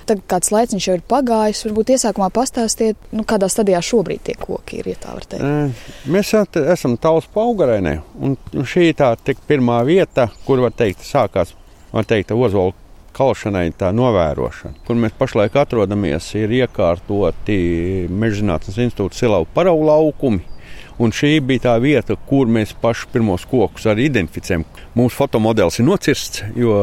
tagad kāds laiciņš jau ir pagājis, varbūt iesākumā pastāstiet, kādā stadijā šobrīd tie koki ir, ja tā var teikt. Mēs esam Talsu Paugarēnē, un šī tā pirmā vieta, kur sākās, Ozola kalšanai tā novērošana. Kur mēs pašlaik atrodamies, ir iekārtoti Mežzinātnes institūta Silavu paraugu laukumi. Un šī bija tā vieta, kur mēs paši pirmos kokus arī identificējam. Mūsu fotomodelis ir nocirsts, jo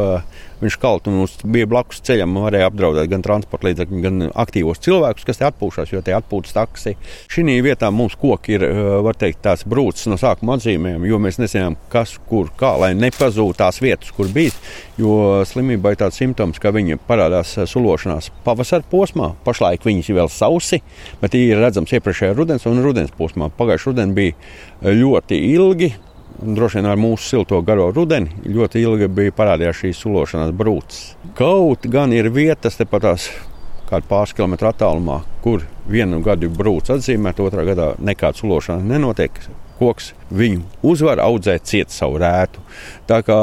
viņš kaut un bija blakus ceļam, varēja apdraudēt gan transporta līdzekļus, gan aktīvos cilvēkus, kas te atpūšās, jo te atpūtas taksi. Šī vietā mums koki ir, var teikt, tās brūces no sākuma atzīmēm, jo mēs nezinām, kas, kur, kā, lai nepazūd tās vietas, kur bijis, jo slimībai ir tāds simptoms, ka viņi parādās sulošanās pavasara posmā. Pašlaik viņas ir vēl sausi, bet ir redzams iepriekšējā rudens un rudens posmā. Pagājušajā rudenī bija ļoti ilgi, droši vien ar mūsu silto garo rudeni, ļoti ilgi bija parādījās šīs sulošanās brūces. Kaut gan ir vietas tepatās kādu pāris kilometru attālumā, kur vienu gadu brūce atzīmēt, otrā gadā nekāda sulošana nenotiek. Koks viņu uzvar audzēt ciet savu rētu. Tā kā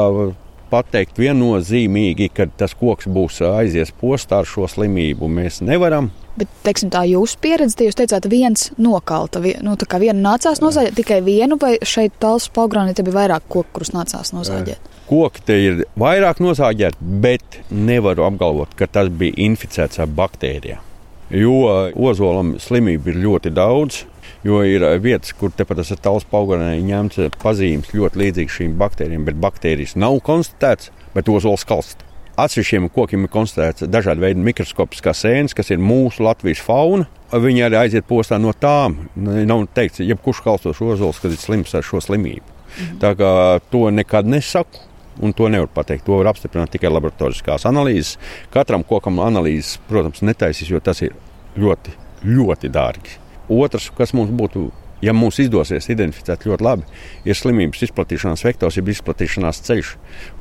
pateikt viennozīmīgi, ka tas koks būs aizies postā ar šo slimību, mēs nevaram. Bet, teiksim, tā jūsu pieredze, jūs teicāt, viens nokalta, tā kā vienu nācās nozāģēt, tikai vienu, vai šeit Talsu Paugarēnē te bija vairāk koku, kurus nācās nozāģēt? Koki te ir vairāk nozāģēt, bet nevaru apgalvot, ka tas bija inficēts ar baktērijām. Jo ozolam slimību ir ļoti daudz, jo ir vietas, kur tepat tas Talsu Paugarēnē ņemts pazīmes ļoti līdzīgas šīm baktērijām, bet baktērijas nav konstatēts, bet ozols kalst. Atsevišķiem kokiem ir konstatēts dažādi veidi mikroskopiskās sēnes, kas ir mūsu Latvijas fauna. Viņi arī aiziet postā no tām. Nav teikts, jebkurš kalstošs ozols, kad ir slims ar šo slimību. Tā kā to nekad nesaku, un to nevar pateikt. To var apstiprināt tikai laboratoriskās analīzes. Katram kokam analīzes, protams, netaisīs, jo tas ir ļoti, ļoti dārgi. Otrs, kas mums būtu, ja mums izdosies identificēt ļoti labi, ir slimības izplatīšanās vektors, ir izplatīšanās ceļš,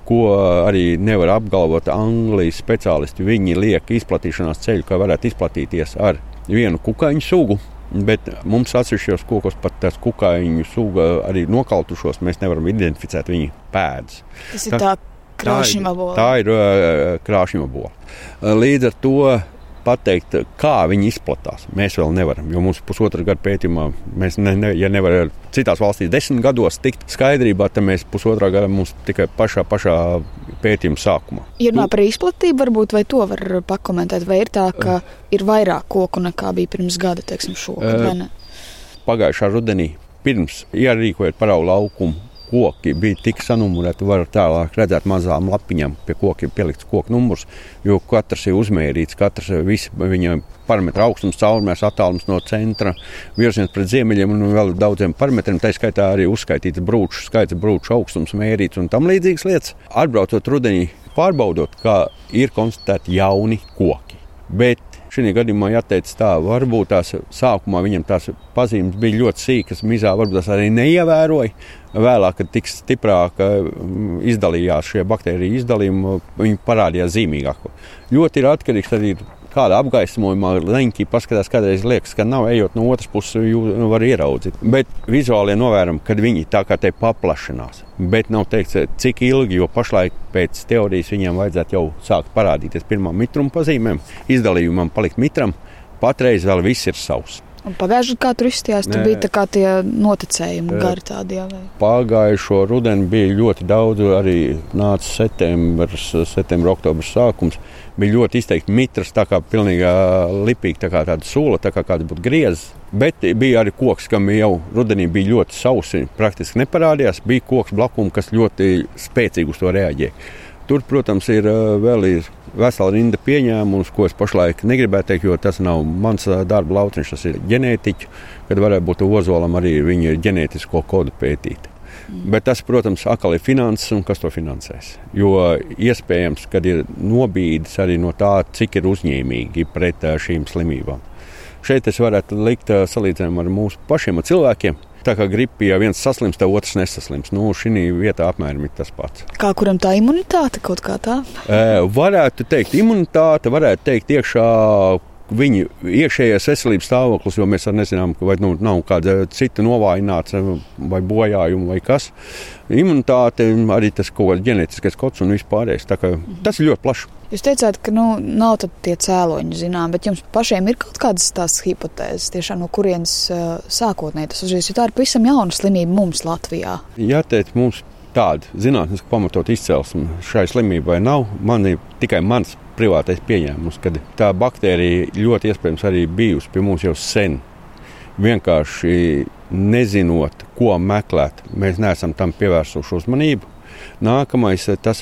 ko arī nevar apgalvot Anglijas speciālisti. Viņi liek izplatīšanās ceļu, ka varētu izplatīties ar vienu kukaiņu sugu, bet mums atsevišķos kokos pat tās kukaiņu suga arī nokaltušos, mēs nevaram identificēt viņu pēdas. Tas ir tā krāšņabola. Tā ir krāšņabola. Līdz ar to pateikt, kā viņi izplatās, mēs vēl nevaram, jo mums pusotra gada pētījumā, mēs ja nevar citās valstīs 10 gados tikt skaidrībā, tad mēs pusotrā gada mums tikai pašā pētījuma sākumā. Ja runā par izplatību, varbūt, vai to var pakomentēt, vai ir tā, ka ir vairāk koku nekā bija pirms gada, teiksim, šogad, vai ne? Pagājušā rudenī, pirms ierīkojot paraugu laukumu, koki bija tik sanumurēti, var tālāk redzēt mazām lapiņām, pie kokiem pielikts koku numurs, jo katrs ir uzmērīts, visi viņa parametra augstums, caurmērs, attālums no centra, virziens pret ziemeļiem un vēl daudziem parametriem, tā skaitā arī uzskaitīts brūču skaits, brūču augstums mērīts un tam līdzīgas lietas. Atbraucot rudenī, pārbaudot, kā ir konstatēti jauni koki. Bet šī gadījumā jāteic tā, varbūt tās sākumā viņam tās pazīmes bija ļoti sīkas, mizā varbūt tās arī neievēroja. Vēlāk, kad tik stiprāk izdalījās šie baktēriju izdalījumi, viņi parādījās zīmīgāk. Ļoti ir atkarīgs arī kāda apgaismojumā leņķī paskatās, kādreiz liekas, ka nav, ejot no otras puses, var ieraudzīt. Bet vizuāli novēram, kad viņi tā kā te paplašinās. Bet nav teikts, cik ilgi, jo pašlaik pēc teorijas viņiem vajadzētu jau sākt parādīties pirmām mitruma pazīmēm, izdalījumam palikt mitram, patreiz vēl viss ir savs. Un pagājušajā gadā, kā tur izstījās, tur bija tā kā tie noticējumi gari tādi, jā, vai? Pagājušo rudeni bija ļoti daudz, arī nāca septembra, oktobra sākums. Bija ļoti izteikti mitras, tā kā pilnīgi lipīgi, tā kā tāda sula, tā kā kāds būtu griezs. Bet bija arī koks, kam jau rudenī bija ļoti sausi, praktiski neparādījās. Bija koks blakumi, kas ļoti spēcīgi uz to reaģēja. Tur, protams, ir vesela rinda pieņēmumus, ko es pašlaik negribētu teikt, jo tas nav mans darba lauciņš, tas ir ģenētiķi, kad varētu būt ozolam arī viņa ģenētisko kodu pētīt. Bet tas, protams, atkal ir finanses un kas to finansēs. Jo iespējams, kad ir nobīdes arī no tā, cik ir uzņēmīgi pret šīm slimībām. Šeit es varētu likt salīdzinājumu ar mūsu pašiem cilvēkiem. Tā kā gripa, ja viens saslims, tad otrs nesaslims. Šī vietā apmēram ir tas pats. Kā kuram tā imunitāte kaut kā tā? Varētu teikt imunitāte, varētu teikt iekšā viņu iekšējais veselības stāvoklis, jo mēs arī nezinām, vai nav kāda cita novājināts vai bojājuma vai kas. Imunitāte, arī tas kaut kāds ģenētiskais kods un vispārējais. Tā kā tas ir ļoti plašs. Jūs teicāt, ka nav tad tie cēloņi zinām, bet jums pašiem ir kaut kādas tās hipotēzes, tiešām no kurienes sākotnēji tas uzreiz, jo tā ir pavisam jauna slimība mums Latvijā. Jāteic, mums tāda zinātniski pamatot izcelsme šai slimībai nav. Man ir tikai mans privātais pieņēmums, ka tā baktērija ļoti iespējams arī bijusi pie mums jau sen. Vienkārši nezinot, ko meklēt, mēs neesam tam pievērsuši uzmanību. Nākamais, tas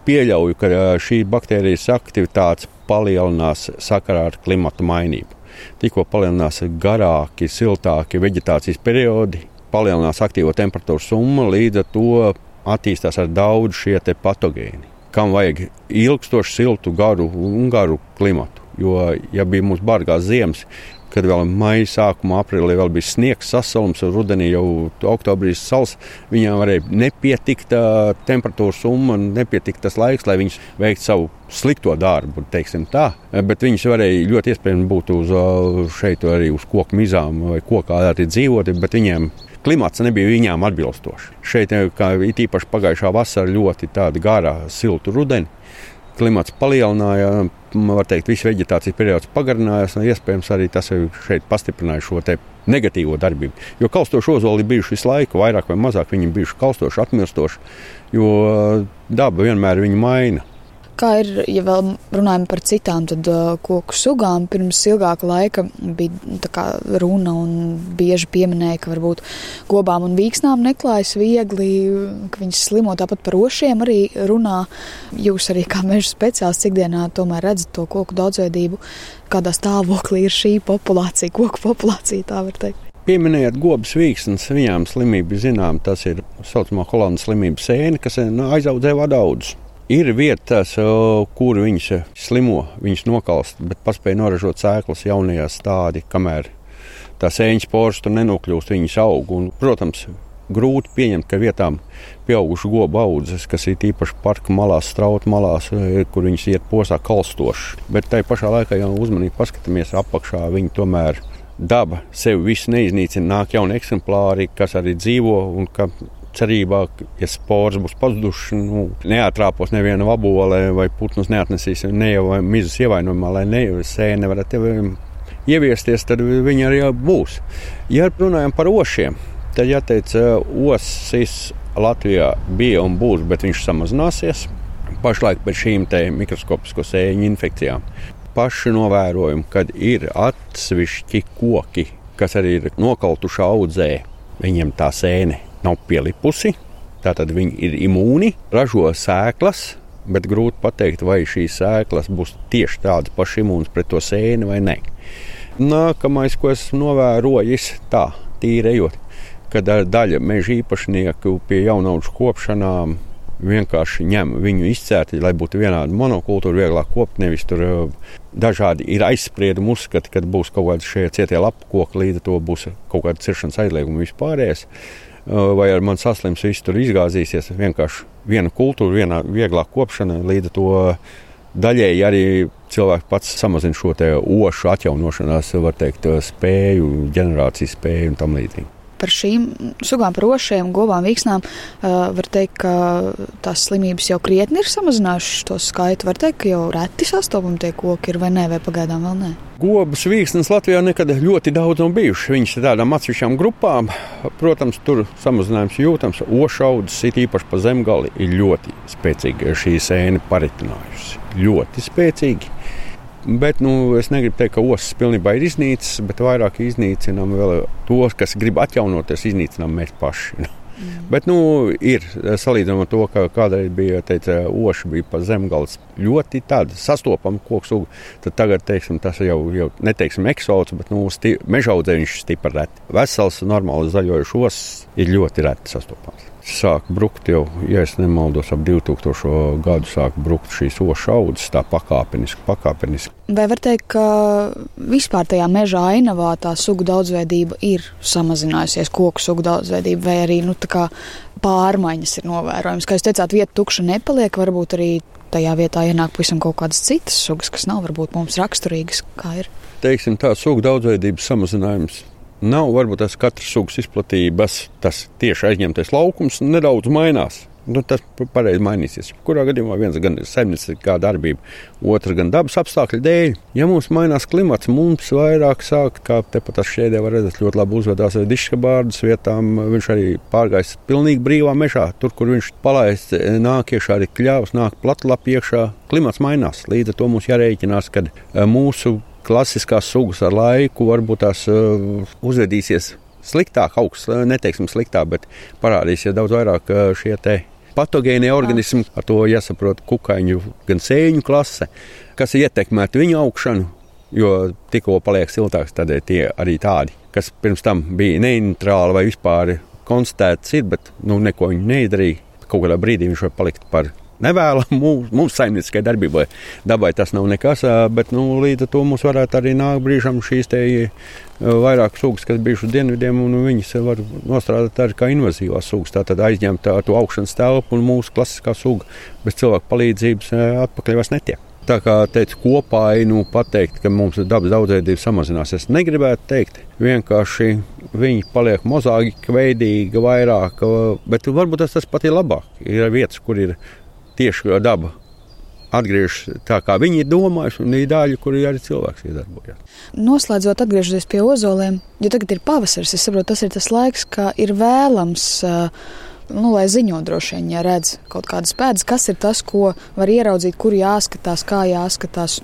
pieļauju, ka šī baktērijas aktivitātes palielinās sakarā ar klimata mainību. Tikko palielinās garāki, siltāki veģetācijas periodi, palielinās aktīvo temperatūru summa, līdz ar to attīstās ar daudz šie te patogēni, kam vajag ilgstoši siltu, garu klimatu. Jo, ja bija mums bargās ziemas, kad vēl maija sākumā, aprīlī vēl bija sniegs, sasalums, un rudenī jau oktobrī sals, viņām varēja nepietikt temperatūras summa, nepietikt tas laiks, lai viņas veiktu savu slikto darbu, teiksim tā. Bet viņas varēja ļoti iespējami būt šeit arī uz koku mizām vai kokā arī dzīvot, bet viņiem klimats nebija viņām atbilstoši. Šeit, kā īpaši pagājušā vasara, ļoti tāda garā, siltu rudeni. Klimats palielināja, var teikt, visu veģetācijas periods pagarinājās, un iespējams arī tas šeit pastiprināja šo te negatīvo darbību. Jo kalstoši ozoli ir bijuši visu laiku, vairāk vai mazāk viņi bijuši kalstoši, atmirstoši, jo daba vienmēr viņu maina. Kā ir, ja vēl runājam par citām tad, koku sugām, pirms ilgāka laika bija tā kā runa un bieži pieminēja, ka varbūt gobām un vīksnām neklājas viegli, ka viņas slimo, tāpat par ošiem arī runā. Jūs arī kā meža speciālists ikdienā tomēr redzat to koku daudzveidību, kādā stāvoklī ir šī populācija, koku populācija, tā var teikt. Pieminējot gobas vīksnes, viņām slimība zinām, tas ir saucamā Holandas slimība sēne, kas aizaudzē vadaudus. Ir vietas, kur viņas slimo, viņas nokalst, bet paspēja noražot sēklas jaunajā stādī, kamēr tā sēņas poras tur nenokļūst, viņas aug. Un, protams, grūti pieņemt, ka vietām pieaugušu gobu audzes, kas ir īpaši parka malās, strautu malās, kur viņas iet posā kalstoši. Bet tai pašā laikā jau uzmanīgi paskatāmies apakšā, viņi tomēr daba sevi visu neiznīcina, nāk jauni eksemplāri, kas arī dzīvo un ka cerībā, ja spors būs pazuduši, neatrāpos neviena vabole vai putnus neatnesīs vai mizus ievainojumā, lai sēne varētu ieviesties, tad viņi arī būs. Ja runājam par ošiem, tad jāteic, osis Latvijā bija un būs, bet viņš samazināsies. Pašlaik pēc šīm te mikroskopisko sēņu infekcijām. Paši novērojumi, kad ir atsevišķi koki, kas arī ir nokaltuši audzē, viņiem tā sēne nav pielipusi, tātad viņi ir imūni, ražo sēklas, bet grūti pateikt, vai šīs sēklas būs tieši tādas pašas imūnas pret to sēni vai ne. Nākamais, ko esmu novērojis, tā, tīrējot, kad daļa meža īpašnieku pie jaunaudžu kopšanām vienkārši ņem viņu izcērti, lai būtu vienāda monokultūra, vieglāk kopt, nevis tur dažādi ir aizspriedumi uzskati, kad būs kaut kādi šie cietie lapu koki, līdz to būs kaut kāda ciršanas aizlieguma vispārējais. Vai ar man saslims viss tur izgāzīsies, vienkārši viena kultūra, viena vieglāk kopšana, līdz to daļēji arī cilvēks pats samazina šo te ošu atjaunošanās, var teikt, spēju, ģenerācijas spēju un tam līdzīgi. Par šīm sugām, par ošiem, gobām, vīksnām, var teikt, ka tās slimības jau krietni ir samazinājušas to skaitu. Var teikt, ka jau reti sastopami tie koki ir vai nē, vai pagaidām vēl nē? Gobas, vīksnes Latvijā nekad ļoti daudz nav bijuši. Viņas ir tādām atsevišķām grupām. Protams, tur samazinājums jūtams. Ošaudzes, it īpaši pa zemgali, ir ļoti spēcīgi šī sēne paritinājusi. Ļoti spēcīgi. Bet es negribu teikt, ka osas pilnībā ir iznīcis, bet vairāk iznīcinām vēl tos, kas grib atjaunoties, iznīcinām mēs paši. Bet ir salīdzinām ar to, ka kādreiz bija, oša bija pa zemgals ļoti tāda sastopama koku suga, tad tagad, teiksim, tas jau neteiksim eksots, bet mežaudzē viņš stipri reti. Vesels, normāli zaļojuši osas ir ļoti reti sastopams. Sāk brukt jau, ja es nemaldos, ap 2000. Gadu sāk brukt šīs ošu audzes tā pakāpeniski. Vai var teikt, ka vispār tajā meža ainavā tā sugu daudzveidība ir samazinājusies, koku sugu daudzveidība, vai arī tā kā pārmaiņas ir novērojams? Kā jūs teicāt, vieta tukša nepaliek, varbūt arī tajā vietā ienāk pavisam kaut kādas citas sugas, kas nav varbūt mums raksturīgas, kā ir. Teiksim, tā sugu daudzveidības samazinājums nav varbūt tas katras sugas izplatības, tas tieši aizņemtais laukums nedaudz mainās. Tas pareizi mainīsies. Kurā gadījumā viens gan ir saimnieciskā darbība, otrs gan dabas apstākļu dēļ. Ja mums mainās klimats, mums vairāk sāk, kā tepat tas šķēdē var redzēt, ļoti labi uzvedās ar diškabārdus vietām. Viņš arī pārgājis pilnīgi brīvā mežā. Tur, kur viņš palaists, nāk iekšā arī kļavas, nāk platlapi iekšā. Klimats mainās. Līdz ar to mums jārēķinās, ka mūsu klasiskās sugas ar laiku varbūt tās uzvedīsies sliktāk, augsts, neteiksim sliktāk, bet parādīsies daudz vairāk šie te patogēnie organismi, ar to jāsaprot kukaiņu gan sēņu klase, kas ietekmētu viņu augšanu, jo tikko paliek siltāks, tad tie arī tādi, kas pirms tam bija neitrāli vai vispār konstatēts ir, bet neko viņi neizdarīja. Kaut kādā brīdī viņš var palikt par nevēlam mūsu saimnieciskai darbībai. Dabai tas nav nekas, bet līdz ar to mums varētu arī nākt brīžam šīs te vairāk sugas, kas bijuši dienvidiem, un viņas var nostrādāt arī kā invazīvās sugas. Tātad aizņemt to augšanas telpu un mūsu klasiskā suga bez cilvēku palīdzības atpakaļ vairs netiek. Tā kā teicu kopainu pateikt, ka mums dabas daudzveidība samazinās. Es negribētu teikt, vienkārši viņi paliek mozāika veidīgi vairāk, bet varbūt tas pat ir labāk. Ir vietas, kur ir tieši daba atgriežas tā, kā viņi ir domājuši, un ir daļa, kur arī cilvēks iedarbojas. Noslēdzot, atgriežoties pie ozoliem, jo tagad ir pavasaris, es saprotu, tas ir tas laiks, ka ir vēlams, lai ziņo droši vien, ja redz kaut kādas pēdas, kas ir tas, ko var ieraudzīt, kur jāskatās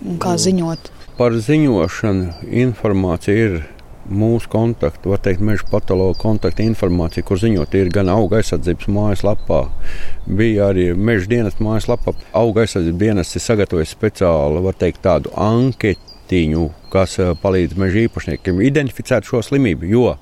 un kā ziņot. Par ziņošanu informācija ir mūsu kontaktu, var teikt, meža patologa kontakta informācija, kur ziņot ir gan auga aizsardzības mājaslapā, bija arī meža dienesta mājaslapā. Auga aizsardzības dienests ir sagatavojis speciāli, var teikt, tādu anketiņu, kas palīdz meža īpašniekiem identificēt šo slimību, jo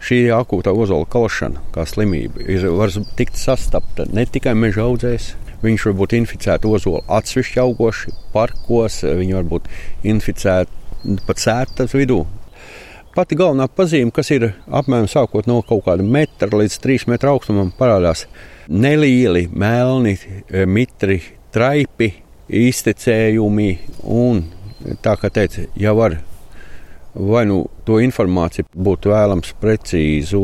šī akūtā ozola kalšana, kā slimība, var tikt sastapta ne tikai meža audzējs. Viņš var būt inficēti ozolu atsevišķi augoši, parkos, viņi var būt inficēti pat sētas vidū. Pati galvenā pazīme, kas ir apmēram sākot no kaut kāda metra līdz 3 metru augstumam, parādās nelieli, melni, mitri, traipi, iztecējumi. Un tā kā teica, ja var vai to informāciju būtu vēlams precīzu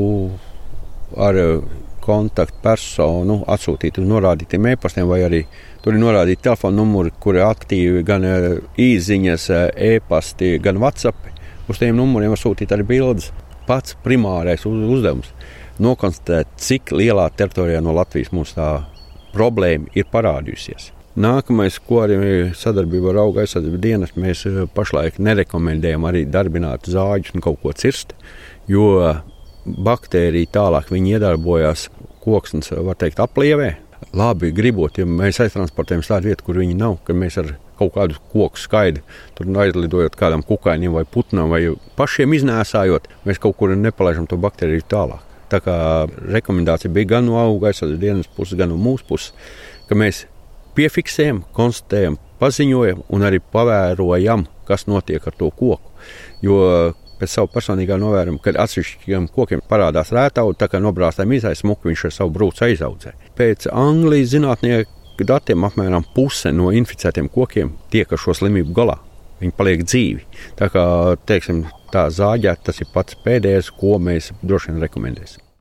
ar kontaktpersonu atsūtīt uz norādītiem e-pastiem, vai arī tur ir norādīti telefona numuri, kuri aktīvi gan īziņas, e-pasti, gan WhatsApp. Uz tiem numuriem var sūtīt arī bildes. Pats primārais uzdevums nokonstatēt, cik lielā teritorijā no Latvijas mums tā problēma ir parādījusies. Nākamais, ko arī sadarbībā ar auga aizsardzības dienestu, mēs pašlaik nerekomendējam arī darbināt zāģus un kaut ko cirst, jo baktērija tālāk viņi iedarbojās koksnes, var teikt, aplievē. Labi gribot, ja mēs aiztransportējam tādu vietu, kur viņi nav, ka mēs ar kaut kādu koku skaidu, tur aizlidojot kādam kukainim vai putnam vai pašiem iznēsājot, mēs kaut kur nepalaižam to baktēriju tālāk. Tā kā rekomendācija bija gan no auga aizsardzības dienas puses, gan no mūsu puses, ka mēs piefiksējam, konstatējam, paziņojam un arī pavērojam, kas notiek ar to koku. Jo pēc savu personīgā novērojuma, kad atsevišķiem kokiem parādās rētauda, tā kā nobrāstām smuku, viņš ar savu brūci aizaudzē. Pēc Anglijas zinātnieku datiem apmēram puse no inficētiem kokiem tiek ar šo slimību galā. Viņi paliek dzīvi. Tā kā, teiksim, tā zāģēt, tas ir pats pēdējais, ko mēs droši vien rekomendēsim.